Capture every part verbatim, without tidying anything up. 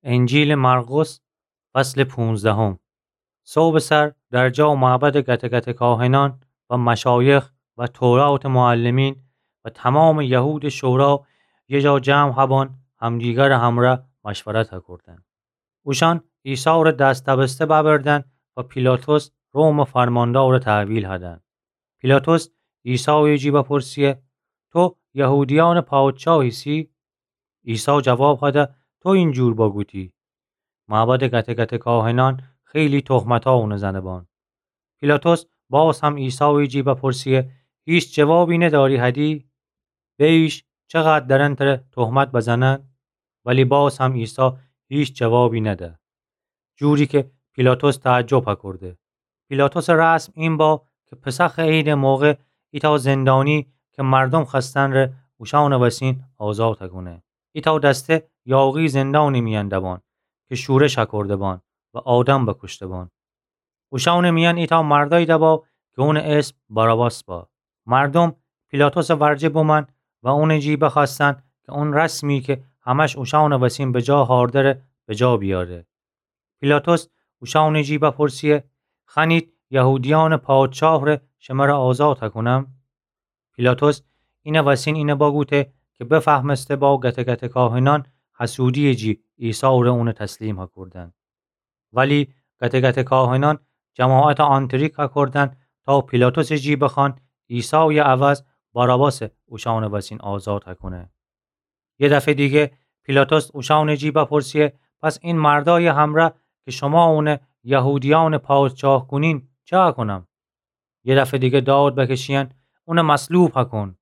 انجیلٚ مرقس، فصلٚ پونزدهم. صبحٚ سر در جا و معبدٚ گته‌گته کاهنأن و مشایخ و توراتٚ معلمین و تومامٚ یهودٚ شورا یه جا جمع هبأن، همدیگرٚ همرأ مشورت هکردن. اوشأن عیسی ره دست‌دبسته ببردن و پیلاطس، رومٚ فرماندار، تحویل هدن. پیلاطس عیسایٚ جی بپرسیه: تو یهودیأنٚ پادشاه ایسی؟ عیسی جواب هده: تو اینجور بگوتی. معبدٚ گته‌گته کاهنأن خیلی تهمتا اونه زنبأن. پیلاطس باز هم عیسایٚ جی بپرسیه: هیچ جوابی نداری هدی؟ بیش چقدر درن تره تهمت بزنن؟ ولی باز هم عیسی هیچ جوابی نده، جوری که پیلاطس تعجب هکرده. پیلاطسٚ رسم این با که پسخٚ عیدٚ موقع ایتأ زندانی که مردم خوأستن ره اوشأنٚ وسین آزاد هکونه. ایتأ دسته یاغی زندانٚ میأن دبأن که شورش هکرده بأن و آدم بکشته بأن. اوشأنٚ میأن ایتأ مردأیی دبا که اونٚ اسم باراباس با. مردم پیلاطسٚ ورجه بومأن و اونٚ جی بخوأستن که اون رسمی که همش اوشأنٚ وسین بجا هأرده ره بجا بیاره. پیلاطس اوشأنٚ جی بپرسیه: خوأنید یهودیأنٚ پادشاه ره شمره آزاد هکونم؟ پیلاطس اینٚ وسین اینه بگوته که بفهمسته با گته‌گته کاهنأن حسودی‌یٚ جی عیسی ره اونه تسلیم هکردن. ولی گته‌گته کاهنأن جماعت آنتریک هکردن تا پیلاطسٚ جی بخوأن عیسایٚ عوض باراباس اوشأنٚ وسین آزاد هکونه. یه دفعه دیگه پیلاطس اوشأنٚ جی بپرسیه: پس این مردأیٚ همرأ که شما اونه یهودیأنٚ پادشاه کونین، چه هکونم؟ یه دفعه دیگه داد بکشیأن: اونه مصلوب هکون.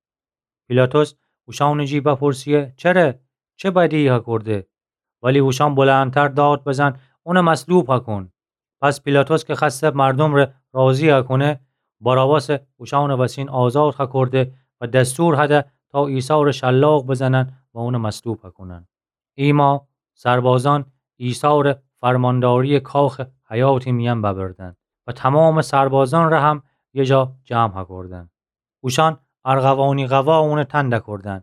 پیلاطس اوشأنٚ جی بپرسیه: چره؟ چه بدی‌یی هکرده؟ ولی اوشأن بلندتر داد بزن: اونه مصلوب هکون. پس پیلاطس که خوأسته مردم ره راضی هکونه، باراباس اوشأنٚ وسین آزاد هکرده و دستور هده تا عیسی ره شلاق بزنن و اونه مصلوب هکونن. ایما سربازأن عیسی ره فرمانداریٚ کاخٚ حیاطٚ میأن ببردن و تومامٚ سربازأن ره هم یه جا جمع هکردن. اوشأن ارغوانی قوا اونٚ تن دکردن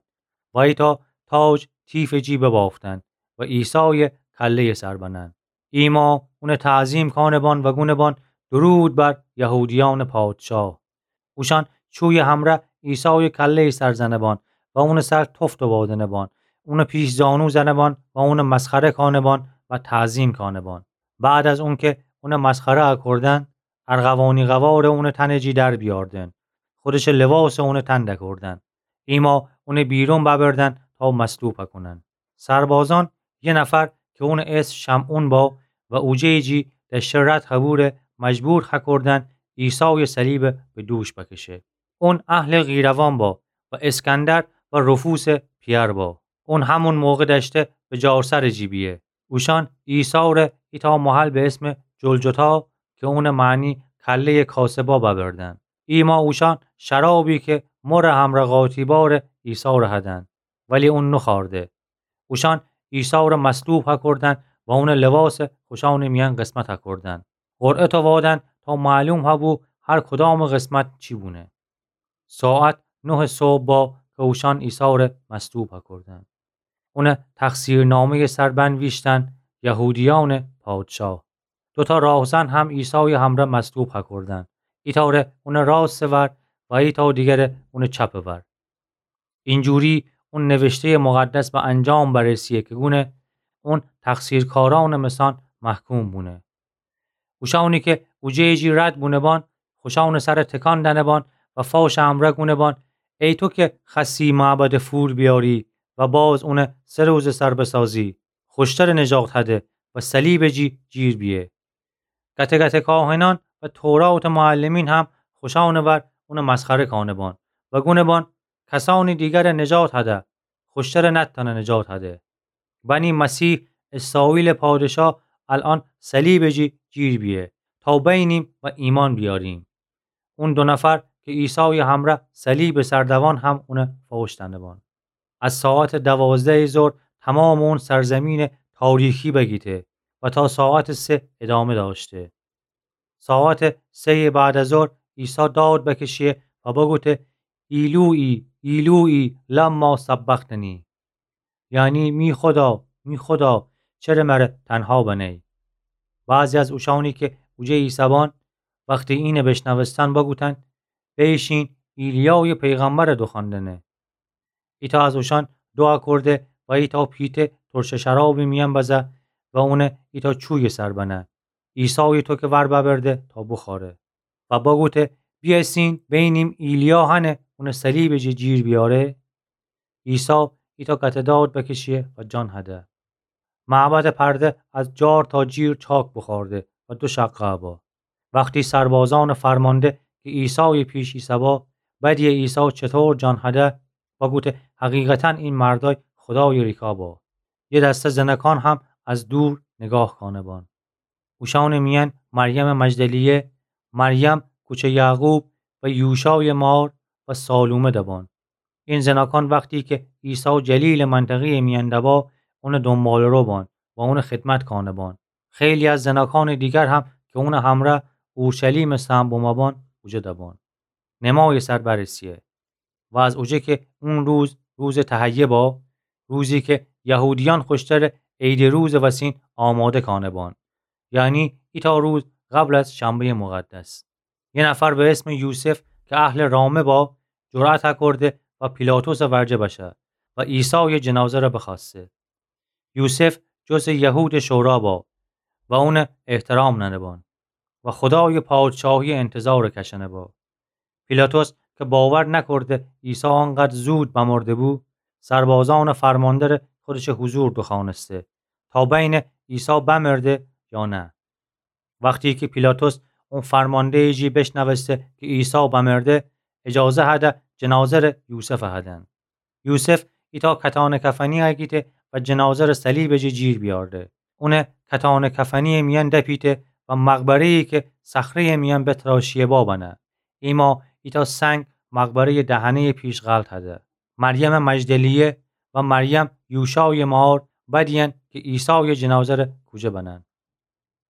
و ایتأ تاج تیفٚ جی ببافتن و عیسایٚ کله‌یٚ سر بنن. ایما اونه تعظیم کانه‌بان و گونه‌بان: درود بر یهودیأنٚ پادشاه. اوشأن چویٚ همرأ عیسایٚ کله‌یٚ سر زنه‌بان و اونٚ سر تفت بادنه‌بان، اونه پیش‌زانو زنه‌بان و اونه مسخره کانه‌بان و تعظیم کانه‌بان. بعد از اونکه اونه مسخره هکردن، ارغوانی قوا ره اونٚ تنٚ جی در بیأردن، خودشٚ لباسٚ اونٚ تن دکردن. ایما اونه بیرون ببردن تا مصلوب هکونن. سربازأن یه نفر که اونٚ اسم شمعون با و اوجه‌یٚ جی دأشته رد هبو ره مجبور هکردن عیسایٚ صلیب به دوش بکشه. اون اهلٚ قیروان با و اسکندر و رفوسٚ پیأر با. اون همون موقع دأشته به جارسرٚ جی بیه. اوشأن عیسی ره ایتأ محل به اسمٚ جلجتا، که اونٚ معنی کله‌یٚ کاسبا، ببردن. ایما اوشأن شرابی که مر همرأ قاطی با ره عیسی ره هدن، ولی اون نوخوأرده. اوشأن عیسی ره مصلوب هکردن و اونٚ لباس خوشأنٚ میأن قسمت هکردن. قرعه تووادن تا معلوم هبو هر کدامٚ قسمت چی بونه. ساعت نه صبح با که اوشأن عیسی ره مصلوب هکردن. اونٚ تقصیرنامه‌یٚ سر بنویشتن: یهودیأنٚ پادشاه. دوتا راهزن هم عیسایٚ همرأ مصلوب هکردن، ایتأ ره اونٚ راستٚ ور و ایتأ دیگر ره اونٚ چپٚ ور. اینجوری اون نوشته‌یٚ مقدس به انجام برسیه که گونه: اون تقصیرکارأنٚ مثأن محکوم بونه. اوشأنی که اوجه‌یٚ جی رد بونه‌بان، خوشأنٚ سر تکان دأنه‌بان و فاشٚ امرأ گونه‌بان: ای تو که خوأستی معبد فور بیأری و باز اونٚ سه روزٚ سر بسازی، خوشترٚ نجات هده و صلیبٚ جی جیر بیه. گته‌گته‌کاهنأن و توراتٚ معلمین هم خوشأنٚ ور اونٚ مسخره کانه‌بان و گونه‌بان: کسأنی دیگر نجات هده، خوشترٚ نتأنه نجات هده. بنی مسیح اسرائیلٚ پادشاه الأن صلیبٚ جی جیر بیه تا بینیم و ایمأن بیأریم. اون دو نفر که عیسایٚ همرأ صلیبٚ سر دوان هم اونٚ فاش دأنه‌بان. از ساعتٚ دوازدهٚ ظهر تومامٚ اون سرزمینٚ تاریکی بگیته و تا ساعتٚ سه ادامه دأشته. ساعتٚ سه‌یٚ بعد از ظهر عیسی داد بکشه و بگوته: ایلویی، ایلویی، لما سبقتنی؟ یعنی: می خدا، می خدا، چره مره تنها بنه‌یی؟ بعضی از اوشأنی کی اوجه ایسه‌بان، وختی اینه بیشنوستن، بگوتن: بیشین، ایلیایٚ پیغمبرٚ دوخوأن دنه. ایتأ از اوشأن دوعا کورده و ایتأ پیته ترشٚ شرابٚ میأن بزه و اونه ایتأ چویٚ سر بنه، عیسایٚ توکه ور ببرده تا بوخوأره و بگوته: بیأسین، بینیم ایلیا هنه اونه صلیبٚ جه جیر بیاره. عیسی ایتأ گته‌داد بکشیه و جان هده. معبدٚ پرده از جار تا جیر چاک بوخوأرده و دو شقه با. وختی سربازأنٚ فرمانده کی عیسایٚ پیش ایسه‌با بدیه عیسی چطور جان هده، بگوته: حقیقتاً این مردأی خودایٚ ریکا با. یه دسته زنکان هم از دور نیگاه کانه‌بان. اوشأنٚ میأن مریمٚ مجدلیه، مریم کوچه یعقوب و یوشایٚ مار و سالومه دبان. این زنکان وختی کی عیسی جلیلٚ منطقه‌یٚ میأن دبا، اونٚ دونباله‌رو بان و اونٚ خدمت کانه‌بان. خیلی از زنکانٚ دیگر هم کی اونٚ همره اورشلیمٚ سهم بومه‌بان، اوجه دبان. نمایٚ سر برسیه. و از اوجه کی اون روز روزٚ تهیه با، روزی کی یهودیأن خوشتره عیدٚ روزٚ وسین آماده کانه‌بان، یعنی ایتأ روز قبل از شنبه‌یٚ مقدس، یه نفر به اسمٚ یوسف کی اهلٚ رامه با، جرأت اکرده و پیلاطسٚ ورجه بشه و عیسایٚ جنازه‌ره بخوأسته. یوسف جزٚ یهودٚ شورا با و اونه احترام ننه‌بان و خودایٚ پادشاهیٚ انتظارٚ کشنه با. پیلاطس کی باور نکرده عیسی آنقدر زود بمرده بو، سربازأنٚ فرمانده‌ره خودشٚ حضور دوخوأنسته تا بینه عیسی بمرده یا نه. وختی کی پیلاطس اون فرمانده‌یٚ جی بیشنوسته کی عیسی بمرده، اجازه هده جنازه‌ره یوسفٚ هدن. یوسف ایتأ کتانٚ کفنی اگیده و جنازه‌ره صلیبٚ جی جیر بیأرده. اونه کتانٚ کفنیٚ میأن دپیده و مقبره‌یی کی صخره‌یٚ میأن بتراشیه با بنه. ایما ایتأ سنگ مقبره‌یٚ دهنه‌یٚ پیش غلط هده. مریمٚ مجدلیه و مریم یوشایٚ مار بدیین کی عیسایٚ جنازه‌ره کوجه بنن.